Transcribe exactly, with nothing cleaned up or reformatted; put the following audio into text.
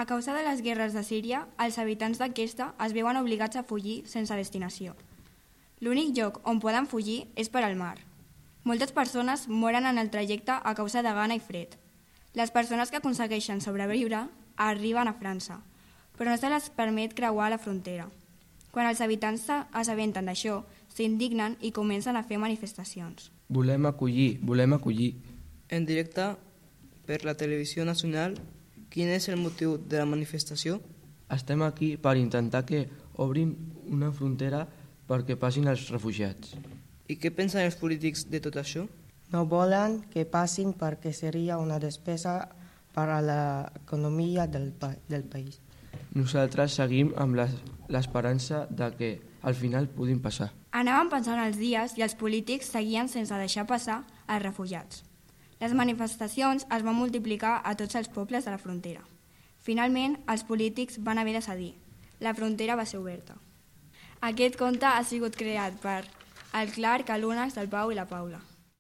A causa de les guerres de Síria, els habitants d'aquesta es veuen obligats a fugir sense destinació. L'únic lloc on poden fugir és per al mar. Moltes persones moren en el trajecte a causa de gana i fred. Les persones que aconsegueixen sobreviure arriben a França, però no se les permet creuar la frontera. Quan els habitants s'assabenten d'això, s'indignen i comencen a fer manifestacions. Volem acollir, volem acollir. En directe per la televisió nacional, quin és el motiu de la manifestació? Estem aquí per intentar que obrin una frontera perquè passin els refugiats. I què pensen els polítics de tot això? No volen que passin perquè seria una despesa per a l'economia del, pa del país. Nosaltres seguim amb l'esperança de que al final puguin passar. Anaven passant els dies i els polítics seguien sense deixar passar els refugiats. Les manifestacions es van multiplicar a tots els pobles de la frontera. Finalment, els polítics van haver de cedir. La frontera va ser oberta. Aquest conte ha sigut creat per el Clark, el Lunax, el Pau i la Paula.